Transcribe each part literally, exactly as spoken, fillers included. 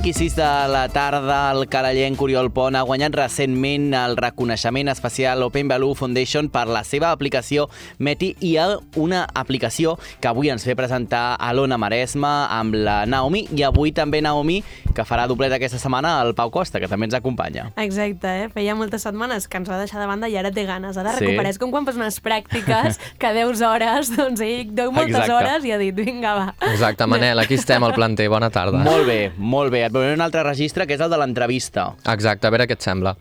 cinc i sis de la tarda, el carallenc Oriol Pont ha guanyat recentment el reconeixement especial Open Value Foundation per la seva aplicació Meti, i hi ha una aplicació que avui ens ve presentar a l'Ona Maresme amb la Naomi, i avui també Naomi, que farà doblet aquesta setmana al Pau Costa, que també ens acompanya. Exacte, eh? Feia moltes setmanes que ens va deixar de banda i ara té ganes. Ara Sí. recuperes com quan fas unes pràctiques que deus hores, doncs ell deu moltes Exacte. hores i ha dit, vinga, va. Exacte, Manel, aquí estem al planter, bona tarda. Molt bé, molt bé. Et veuré un altre registre, que és el de l'entrevista. Exacte, a veure què et sembla.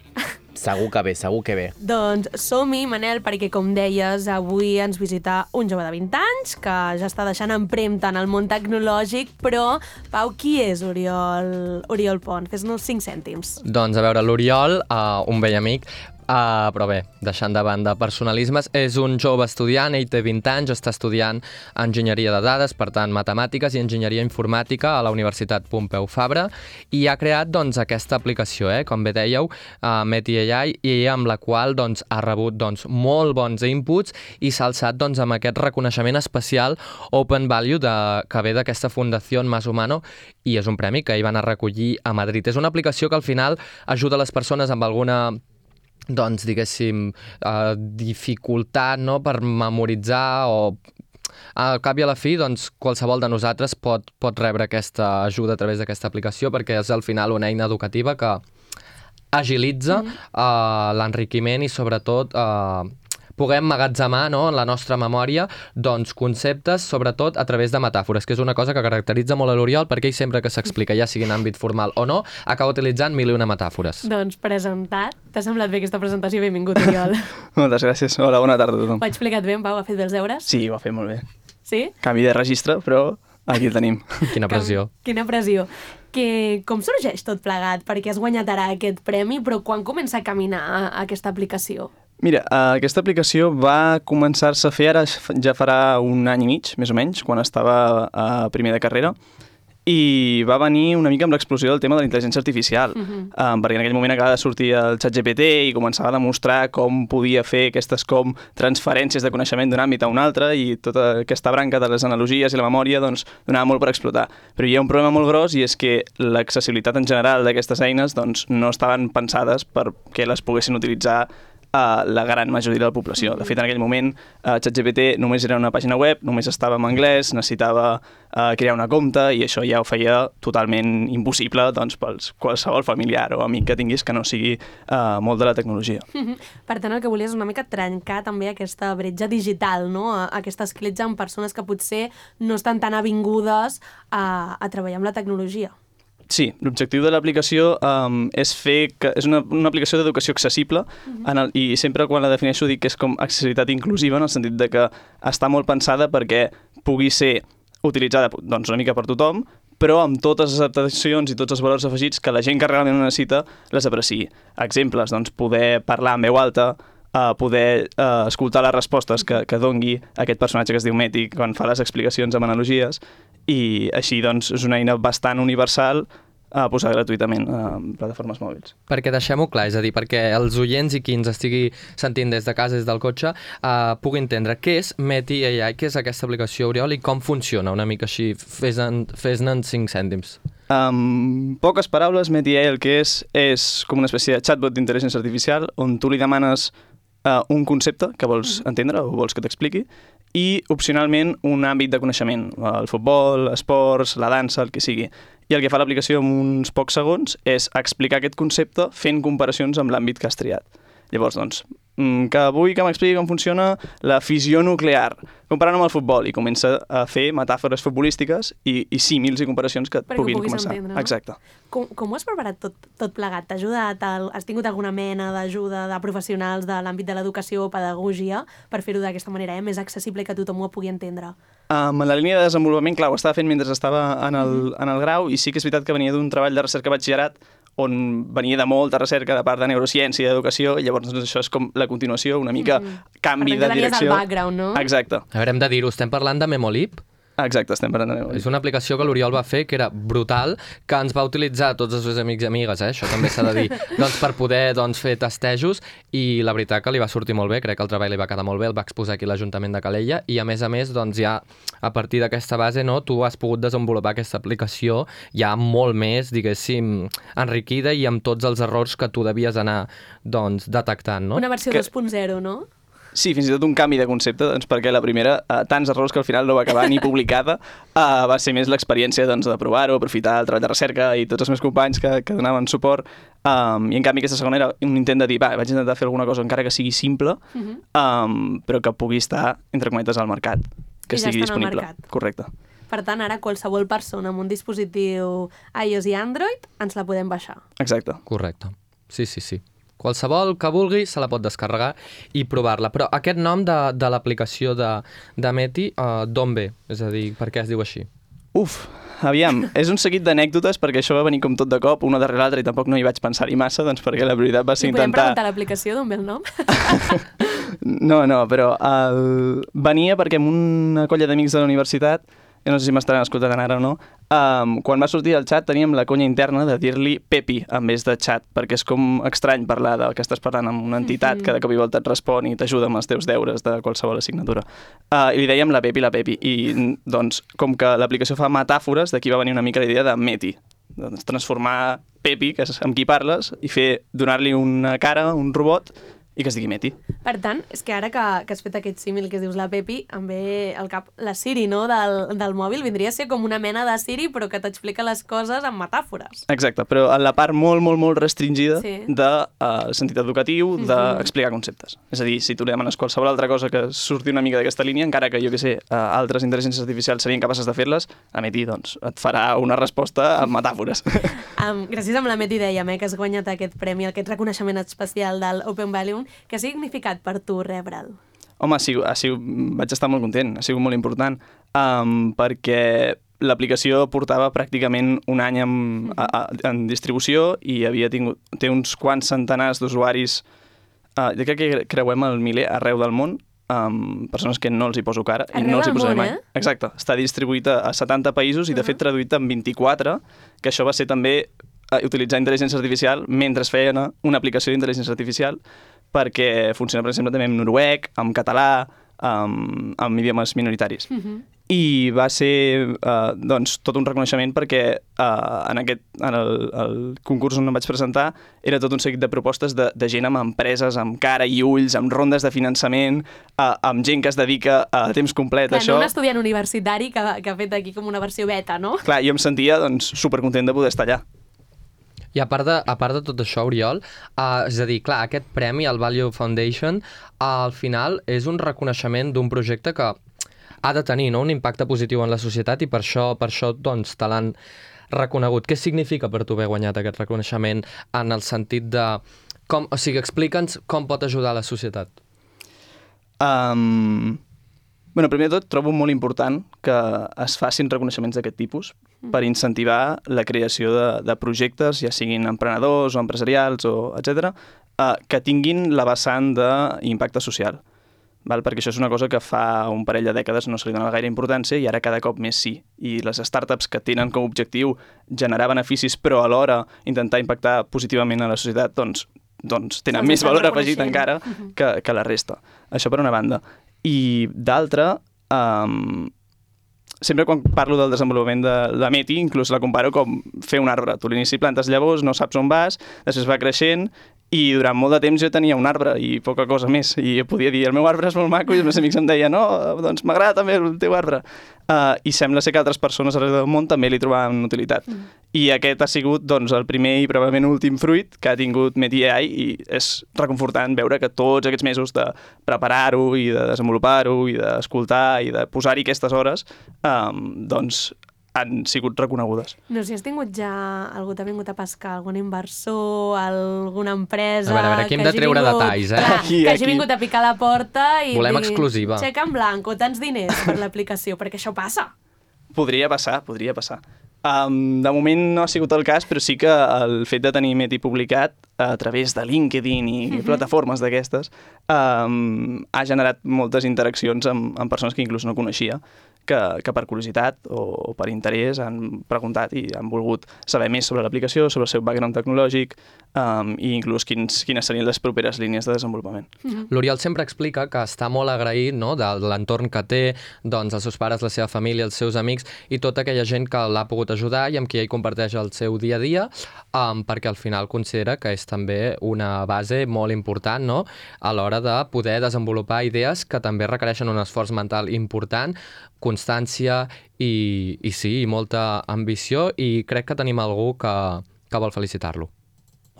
Segur que bé, segur que bé. Doncs som-hi, Manel, perquè, com deies, avui ens visita un jove de vint anys que ja està deixant empremta en el món tecnològic, però, Pau, qui és Oriol, Oriol Pont? Fes-nos cinc cèntims. Doncs a veure, l'Oriol, uh, un vell amic, Uh, però bé, deixant de banda personalismes, és un jove estudiant, ell té vint anys, està estudiant enginyeria de dades, per tant, matemàtiques i enginyeria informàtica a la Universitat Pompeu Fabra, i ha creat doncs, aquesta aplicació, eh, com bé dèieu, uh, Meti A I, i amb la qual doncs, ha rebut doncs, molt bons inputs i s'ha alçat doncs, amb aquest reconeixement especial Open Value de, que ve d'aquesta Fundació Más Humano, i és un premi que hi van a recollir a Madrid. És una aplicació que al final ajuda les persones amb alguna doncs, diguéssim, eh, dificultat, no?, per memoritzar, o al cap i a la fi, doncs, qualsevol de nosaltres pot, pot rebre aquesta ajuda a través d'aquesta aplicació, perquè és al final una eina educativa que agilitza mm. eh, l'enriquiment i sobretot eh, puguem emmagatzemar, no, en la nostra memòria doncs, conceptes, sobretot a través de metàfores, que és una cosa que caracteritza molt a l'Oriol, perquè ell sempre que s'explica, ja sigui en àmbit formal o no, acaba utilitzant mil i una metàfores. Doncs presentat. T'ha semblat bé aquesta presentació? Benvingut, Oriol. Moltes gràcies. Hola, bona tarda a tothom. Ho ha explicat bé, en Pau? Ha fet bé els deures? Sí, ho ha fet molt bé. Sí? Canvi de registre, però aquí el tenim. Quina pressió. Quina pressió. Que, com sorgeix tot plegat? Perquè has guanyat ara aquest premi, però quan comença a caminar aquesta aplicació? Mira, uh, aquesta aplicació va començar-se a fer ara ja farà un any i mig, més o menys, quan estava a primer de carrera, i va venir una mica amb l'explosió del tema de la intel·ligència artificial, uh-huh. um, perquè en aquell moment acaba de sortir el ChatGPT i començava a demostrar com podia fer aquestes com transferències de coneixement d'un àmbit a un altre, i tota aquesta branca de les analogies i la memòria doncs, donava molt per explotar. Però hi ha un problema molt gros, i és que l'accessibilitat en general d'aquestes eines doncs, no estaven pensades perquè les poguessin utilitzar a la gran majoria de la població. De fet, en aquell moment, uh, ChatGPT només era una pàgina web, només estava en anglès, necessitava uh, crear una compte, i això ja ho feia totalment impossible doncs, pels qualsevol familiar o amic que tinguis que no sigui uh, molt de la tecnologia. Per tant, el que volies és una mica trencar també aquesta bretxa digital, no? Aquesta escletxa amb persones que potser no estan tan avingudes a, a treballar amb la tecnologia. Sí, l'objectiu de l'aplicació um, és fer que és una, una aplicació d'educació accessible, uh-huh. en el, i sempre quan la defineixo dic que és com accessibilitat inclusiva, en el sentit de que està molt pensada perquè pugui ser utilitzada doncs, una mica per tothom, però amb totes les adaptacions i tots els valors afegits que la gent que realment ho necessita les apreciï. Exemples, doncs, poder parlar en veu alta, uh, poder uh, escoltar les respostes que, que dongui aquest personatge que es diu Meti quan fa les explicacions amb analogies, i així doncs, és una eina bastant universal a posar gratuïtament a plataformes mòbils. Perquè deixem-ho clar, és a dir, perquè els oients i qui ens estigui sentint des de casa, des del cotxe, uh, pugui entendre què és Meti A I, què és aquesta aplicació, Oriol, i com funciona una mica així, fes-ne fes en cinc cèntims. Amb poques paraules, Meti A I el que és és com una espècie de chatbot d'intel·ligència artificial on tu li demanes uh, un concepte que vols entendre o vols que t'expliqui, i opcionalment un àmbit de coneixement, el futbol, esports, la dansa, el que sigui. I el que fa l'aplicació en uns pocs segons és explicar aquest concepte fent comparacions amb l'àmbit que has triat. Llavors, doncs, que vull que m'expliqui com funciona la fissió nuclear, comparant amb el futbol, i comença a fer metàfores futbolístiques i, i símils i comparacions que et perquè puguin puguis començar. Entendre, no? Exacte. Com, com ho has preparat tot, tot plegat? T'ha ajudat? El, has tingut alguna mena d'ajuda de professionals de l'àmbit de l'educació o pedagogia per fer-ho d'aquesta manera, eh? Més accessible i que tothom ho pugui entendre? Um, en la línia de desenvolupament, clar, ho estava fent mentre estava en el, mm-hmm. en el grau, i sí que és veritat que venia d'un treball de recerca batxillerat on venia de molta recerca de part de neurociència i d'educació, i llavors doncs, això és com la continuació, una mica mm-hmm. canvi de direcció. Per tant, que tenies el background, no? Exacte. A veure, hem de dir-ho, estem parlant de Memolib? Exacte, estem parlant de Memory. És una aplicació que l'Oriol va fer, que era brutal, que ens va utilitzar tots els seus amics i amigues, eh? Això també s'ha de dir, doncs, per poder doncs, fer testejos, i la veritat que li va sortir molt bé, crec que el treball li va quedar molt bé, el va exposar aquí a l'Ajuntament de Calella, i a més a més, doncs, ja a partir d'aquesta base, no, tu has pogut desenvolupar aquesta aplicació ja molt més, diguéssim, enriquida i amb tots els errors que tu devies anar, doncs, detectant, no? Una versió Que- dos punt zero, no? Sí, fins i tot un canvi de concepte, doncs, perquè la primera, eh, tants errors que al final no va acabar ni publicada, eh, va ser més l'experiència doncs, de provar-ho, aprofitar el treball de recerca i tots els meus companys que, que donaven suport, um, i en canvi aquesta segona era un intent de dir, va, vaig intentar fer alguna cosa encara que sigui simple, Uh -huh. um, però que pugui estar, entre cometes, al mercat, que I ja estigui està en el disponible. mercat. Correcte. Per tant, ara qualsevol persona amb un dispositiu iOS i Android ens la podem baixar. Exacte. Correcte. Sí, sí, sí. Qualsevol que vulgui se la pot descarregar i provar-la. Però aquest nom de, de l'aplicació de, de Meti, uh, d'on ve? És a dir, per què es diu així? Uf, aviam, és un seguit d'anècdotes perquè això va venir com tot de cop, una darrere l'altra, i tampoc no hi vaig pensar-hi massa, doncs perquè la prioritat va ser I podem intentar... preguntar a l'aplicació d'on ve el nom? No, no, però el... venia perquè amb una colla d'amics de la universitat, jo no sé si m'estaran escoltant ara o no, um, quan va sortir el xat teníem la conya interna de dir-li Pepi en vez de xat, perquè és com estrany parlar del que estàs parlant amb una entitat que de cop i volta et respon i t'ajuda amb els teus deures de qualsevol assignatura. Uh, I li dèiem la Pepi, la Pepi. I, doncs, com que l'aplicació fa metàfores, d'aquí va venir una mica la idea de Meti. Doncs, transformar Pepi, que és amb qui parles, i fer donar-li una cara, un robot, i que es digui Meti. Per tant, és que ara que, que has fet aquest símil que dius la Pepi, em ve al cap la Siri, no?, del, del mòbil. Vindria a ser com una mena de Siri, però que t'explica les coses amb metàfores. Exacte, però en la part molt, molt, molt restringida Sí. de uh, sentit educatiu, d'explicar conceptes. És a dir, si tu li demanes qualsevol altra cosa que surti una mica d'aquesta línia, encara que, jo que sé, uh, altres intel·ligències artificials serien capaces de fer-les, a Meti, doncs, et farà una resposta amb metàfores. Um, gràcies a la Meti dèiem eh, que has guanyat aquest premi, aquest reconeixement especial del Open Valium. Què ha significat per tu rebre'l? Home, ha sigut, ha sigut, vaig estar molt content, ha sigut molt important, um, perquè l'aplicació portava pràcticament un any en, a, a, en distribució i havia tingut, té uns quants centenars d'usuaris, uh, jo crec que creuem el miler arreu del món, um, persones que no els hi poso cara i Arreu no els hi del posaré món, mai. eh? Exacte, està distribuït a, a setanta països i de fet traduït en vint-i-quatre, que això va ser també uh, utilitzar intel·ligència artificial mentre es feia una aplicació d'intel·ligència artificial, perquè funciona, per exemple, també en noruec, en català, amb, amb idiomes minoritaris. Uh -huh. I va ser uh, doncs, tot un reconeixement perquè uh, en, aquest, en el, el concurs on em vaig presentar era tot un seguit de propostes de, de gent amb empreses, amb cara i ulls, amb rondes de finançament, uh, amb gent que es dedica a temps complet Clar, a això. no un estudiant universitari que, que ha fet aquí com una versió beta, no? Clar, jo em sentia doncs, supercontent de poder estar allà. I a part de, a part de tot això, Oriol, uh, és a dir, clar, aquest premi, el Value Foundation, uh, al final és un reconeixement d'un projecte que ha de tenir, no?, un impacte positiu en la societat i per això, per això doncs, te l'han reconegut. Què significa per tu haver guanyat aquest reconeixement en el sentit de... Com, o sigui, explica'ns com pot ajudar la societat. Um, bueno, primer de tot, trobo molt important que es facin reconeixements d'aquest tipus per incentivar la creació de, de projectes, ja siguin emprenedors o empresarials, o etcètera, uh, que tinguin la vessant d'impacte social. Val? Perquè això és una cosa que fa un parell de dècades no se li dona gaire importància i ara cada cop més sí. I les startups que tenen com a objectiu generar beneficis però alhora intentar impactar positivament a la societat, doncs, doncs tenen Els més estan valor afegit reconeixent. encara que, que la resta. Això per una banda. I d'altra, um, sempre quan parlo del desenvolupament de la Meti, inclús la comparo com fer un arbre. Tu a l'inici plantes llavors, no saps on vas, després va creixent, i durant molt de temps jo tenia un arbre i poca cosa més, i jo podia dir el meu arbre és molt maco i els meus amics em deien no, doncs m'agrada també el teu arbre. Uh, I sembla ser que altres persones arreu del món també li trobaven utilitat. Mm. I aquest ha sigut doncs, el primer i probablement últim fruit que ha tingut Meti A I i és reconfortant veure que tots aquests mesos de preparar-ho i de desenvolupar-ho i d'escoltar i de posar-hi aquestes hores um, doncs han sigut reconegudes. No sé si has tingut ja... Algú t'ha vingut a pescar, algun inversor, alguna empresa... A veure, a veure, aquí hem que de hagi treure vingut, detalls, eh? Clar, Aquí, que hagi aquí. vingut a picar la porta i Volem dir, exclusiva. xec en blanc o tants diners per l'aplicació, perquè això passa. Podria passar, podria passar. Um, de moment no ha sigut el cas, però sí que el fet de tenir Meti publicat a través de LinkedIn i uh-huh. plataformes d'aquestes um, ha generat moltes interaccions amb, amb persones que inclús no coneixia, que, que per curiositat o, o per interès han preguntat i han volgut saber més sobre l'aplicació, sobre el seu background tecnològic um, i inclús quins, quines serien les properes línies de desenvolupament. Mm-hmm. L'Oriol sempre explica que està molt agraït, no?, de l'entorn que té, doncs els seus pares, la seva família, els seus amics i tota aquella gent que l'ha pogut ajudar i amb qui ell comparteix el seu dia a dia, um, perquè al final considera que és també una base molt important, no?, a l'hora de poder desenvolupar idees que també requereixen un esforç mental important, constància i, i sí, i molta ambició, i crec que tenim algú que, que vol felicitar-lo.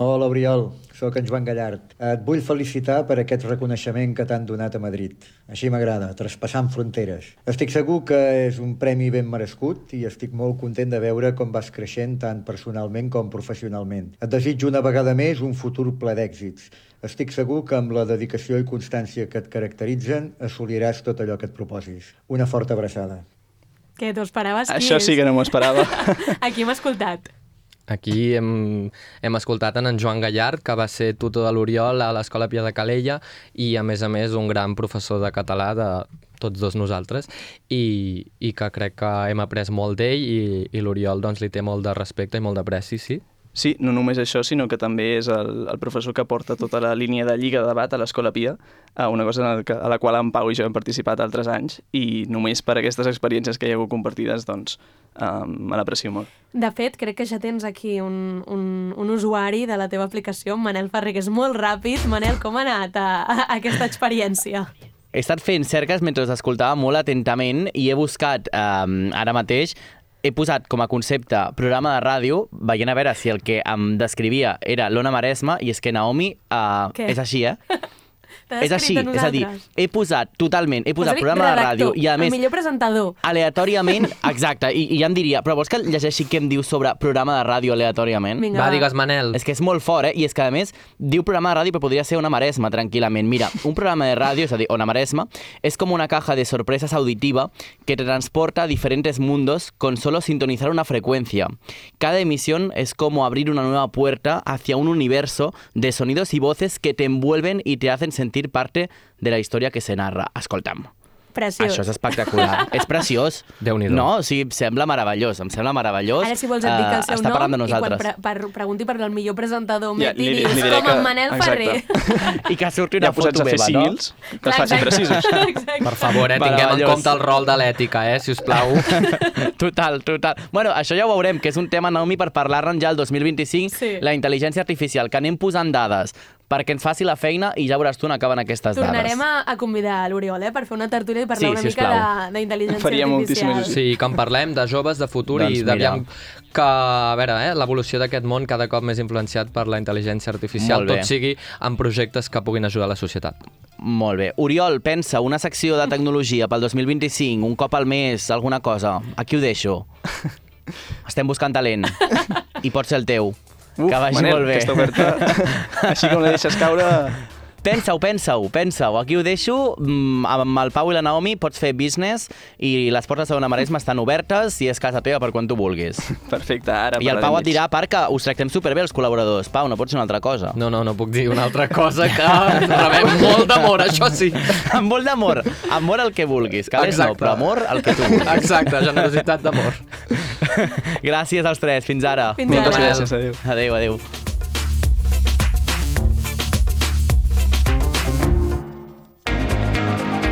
Hola, Oriol, sóc en Joan Gallard. Et vull felicitar per aquest reconeixement que t'han donat a Madrid. Així m'agrada, traspassant fronteres. Estic segur que és un premi ben merescut i estic molt content de veure com vas creixent tant personalment com professionalment. Et desitjo una vegada més un futur ple d'èxits. Estic segur que amb la dedicació i constància que et caracteritzen assoliràs tot allò que et proposis. Una forta abraçada. Què, t'ho esperaves? Qui Això és? sí que no m'ho esperava. A qui hem escoltat? Aquí hem, hem escoltat en, en Joan Gallard, que va ser tutor de l'Oriol a l'Escola Pia de Calella i, a més a més, un gran professor de català de tots dos nosaltres i, i que crec que hem après molt d'ell i, i l'Oriol doncs, li té molt de respecte i molt d'apreci, sí? Sí, no només això, sinó que també és el, el professor que porta tota la línia de lliga de debat a l'Escola Pia, una cosa en el que, a la qual en Pau i jo hem participat altres anys, i només per aquestes experiències que hi ha hagut compartides, doncs, um, me l'aprecio molt. De fet, crec que ja tens aquí un, un, un usuari de la teva aplicació, Manel Ferrer, que és molt ràpid. Manel, com ha anat a, a, a aquesta experiència? He estat fent cerques mentre us escoltava molt atentament i he buscat um, ara mateix. He posat com a concepte programa de ràdio, veient a veure si el que em descrivia era l'Ona Maresma, i és que Naomi uh, és així, eh? És així, és a dir, he posat totalment, he posat programa de ràdio i a més... el millor presentador. Aleatòriament, exacte, i, i ja em diria, però vols que llegeixi què em diu sobre programa de ràdio aleatòriament? Vinga, va, va, digues, Manel. És que és molt fort, eh? I és que, a més, diu programa de ràdio, però podria ser Ona Maresma, tranquil·lament. Mira, un programa de ràdio, és a dir, Ona Maresma, es como una caja de sorpresas auditiva que te transporta a diferentes mundos con solo sintonizar una frecuencia. Cada emisión es como abrir una nueva puerta hacia un universo de sonidos y voces que te envuelven y te hacen sentir parte de la història que se narra. Escolta'm. Preciós. Això és espectacular. És preciós. Déu-n'hi-do. No, o sigui, em sembla meravellós. Em sembla meravellós. Ara, si vols, et dic el seu uh, està nom parlant de i quan nosaltres. pre per, pregunti per el millor presentador, Ja, ja, i li- dius li diré com que- en Manel Ferrer. I que surti una Ja posats foto a fer meva, no? símils, que es facin precisos. Exacte. Per favor, eh, tinguem en Meravellós. compte el rol de l'ètica, eh, si us plau. Total, total. Bueno, això ja ho veurem, que és un tema, Naomi, per parlar-ne ja el dos mil vint-i-cinc, Sí. la intel·ligència artificial, que anem posant dades perquè ens faci la feina i ja veuràs tu on acaben aquestes Tornarem dades. a, a convidar l'Oriol, eh, per fer una tertúlia i parlar Sí, una mica sisplau. de- d'intel·ligència Faria artificial. moltíssima il·lusió. Sí, que en parlem de joves, de futur Doncs i d'aviam mira. que, a veure, eh, l'evolució d'aquest món cada cop més influenciat per la intel·ligència artificial, Molt bé. tot sigui en projectes que puguin ajudar la societat. Molt bé. Oriol, pensa, una secció de tecnologia pel dos mil vint-i-cinc, un cop al mes, alguna cosa. Aquí ho deixo. Estem buscant talent. I pot ser el teu. Uf, que vagi Manel, molt bé. aquesta oferta, així com la deixes caure... Pensa-ho, pensa-ho, pensa-ho. Aquí ho deixo. Mm, Amb el Pau i la Naomi pots fer business i les portes de Ona Maresma estan obertes i és casa teva per quan tu vulguis. Perfecte, ara I el Pau et parlarem dirà, a part, que us tractem superbé els col·laboradors. Pau, no pot ser una altra cosa. No, no, no puc dir una altra cosa que rebem molt d'amor, això sí. Amb molt d'amor. Amor al que vulguis. Calés no, Exacte. però amor al que tu vulguis. Exacte, generositat d'amor. Gràcies als tres. Fins ara. Fins Moltes ara. gràcies, adéu. Adéu, adéu.